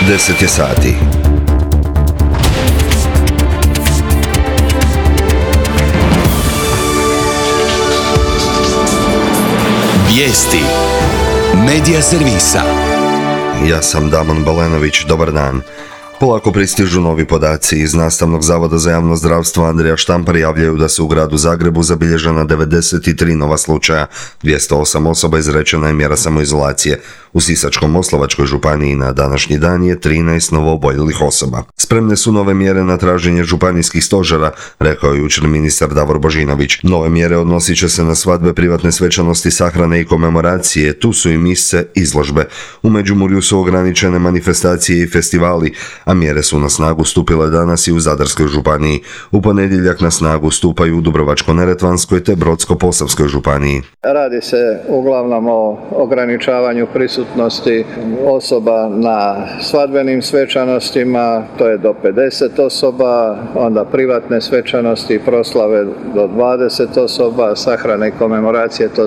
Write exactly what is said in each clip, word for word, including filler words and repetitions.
deset je sati. Vijesti Medija servisa. Ja sam Damon Balenović, dobar dan. Polako pristižu novi podaci. Iz Nastavnog zavoda za javno zdravstvo Andrija Štampar javljaju da su u gradu Zagrebu zabilježena devedeset tri nova slučaja, dvjesto osam osoba izrečena je mjera samoizolacije. U Sisačko-moslavačkoj županiji na današnji dan je trinaest novooboljelih osoba. Spremne su nove mjere na traženje županijskih stožera, rekao je jučer ministar Davor Božinović. Nove mjere odnosit će se na svadbe, privatne svečanosti, sahrane i komemoracije, tu su i mise, izložbe. U Međimurju su ograničene manifestacije i festivali, a mjere su na snagu stupile danas i u Zadarskoj županiji. U ponedjeljak na snagu stupaju u Dubrovačko-neretvanskoj te Brodsko-posavskoj županiji. Radi se uglavnom o ograničavanju prisutnosti osoba na svadbenim svečanostima, to je do pedeset osoba, onda privatne svečanosti, proslave do dvadeset osoba, sahrane i komemoracije, to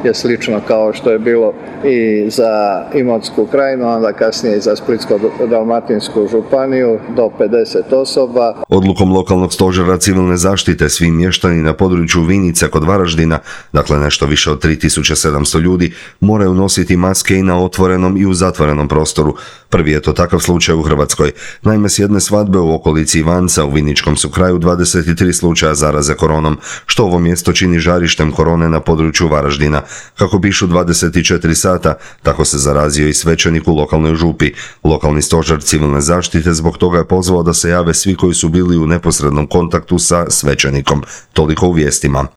je slično kao što je bilo i za Imotsku krajinu, onda kasnije i za Splitsko-dalmatinsku županiju do pedeset osoba. Odlukom lokalnog stožera civilne zaštite svi mještani na području Vinice kod Varaždina, dakle nešto više od tri tisuće sedamsto ljudi, moraju nositi maske i na otvorenom i u zatvorenom prostoru. Prvi je to takav slučaj u Hrvatskoj. Naime, s jedne svadbe u okolici Ivanca u Viničkom su kraju dvadeset tri slučaja zaraze koronom, što ovo mjesto čini žarištem korone na području Varaždina. Kako pišu dvadeset četiri sata, tako se zarazio i svećenik u lokalnoj župi. Lokalni stožer civilne zaštite zbog toga je pozvao da se jave svi koji su bili u neposrednom kontaktu sa svećenikom. Toliko u vijestima.